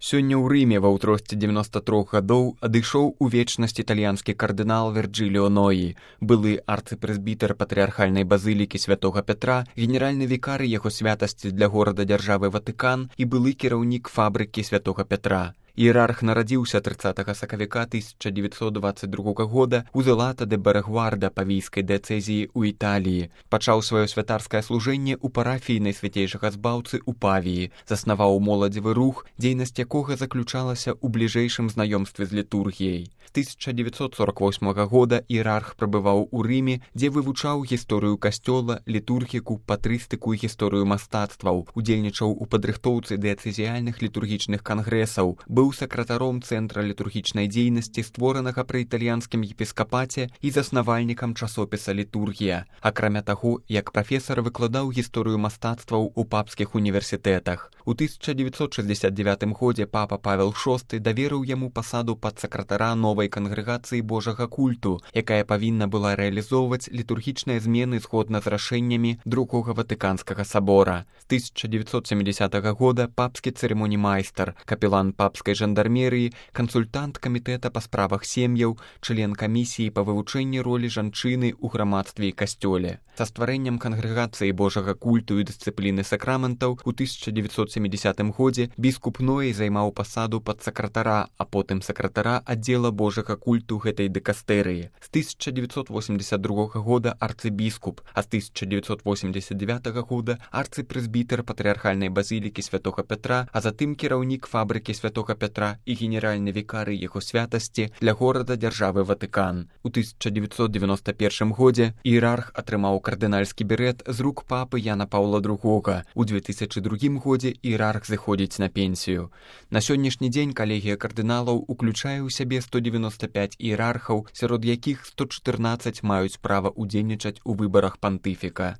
Сёння ў Рыме ва ўзросце 93 гадоў адышоў у вечнасць італьянскі кардынал Верджиліо Ноі, былы арцыпрэзбітэр патрыархальнай базылікі святога Пятра, генеральны вікарый яго святасці для горада-дзяржавы Ватыкан і былы кіраўнік фабрыкі святога Пятра. Іерарх нарадзіўся 30 сакавіка 1922 года ў Зелата де Берегварда павійскай дыяцэзіі ў Італіі. Пачаў сваё святарскае служэнне ў парафіі Найсвяцейшага Збаўцы ў Павіі, заснаваў моладзевы рух, дзейнасць якога заключалася ў бліжэйшым знаёмстве з літургіяй. З 1948 года іерарх прабываў у Рыме, дзе вывучаў гісторыю касцёла, літургіку, патрыстыку і гісторыю мастацтваў, удзельнічаў у падрыхтоўцы дыяцэзіяльных літургічных кангрэсаў, быў сакратаром Цэнтра літургічнай дзейнасці, створанага пры італьянскім епіскапаце і заснавальнікам часопіса «Літургія». Акрамя таго, як прафесар выкладаў гісторыю мастацтваў у папскіх універсітэтах. У 1969 годзе папа Павел VI даверыў яму пасаду падсакратара новай кангрэгацыі Божага культу, якая павінна была рэалізоўваць літургічныя змены згодна з рашэннямі Другога Ватыканскага сабора. З 1970 года папскі цырымонімайстар, капелан папскай жандармерыі, кансультант камітэта па справах сем'яў, член камісіі па вывучэнні ролі жанчыны ў грамадстве і касцёле. Са стварэннем кангрэгацыі Божага культу і дысцыпліны сакраментаў у 1970 годзе біскуп Ноі займаў пасаду падсакратара, а потым сакратара аддзела Божага культу гэтай дыкастэрыі. З 1982 года арцыбіскуп, а з 1989 года арцыпрэзбітэр патрыархальнай базылікі святога Пятра, а затым кіраўнік фабрыкі святога Пятра і генеральны вікарый яго святасці для горада-дзяржавы Ватыкан. У 1991 годзе іерарх атрымаў кардынальскі берэт з рук папы Яна Паўла II. У 2002 годзе іерарх зыходзіць на пенсію. На сённяшні дзень калегія кардыналаў уключае ў сябе 195 іерархаў, сярод якіх 114 маюць права ўдзельнічаць у выбарах пантыфіка.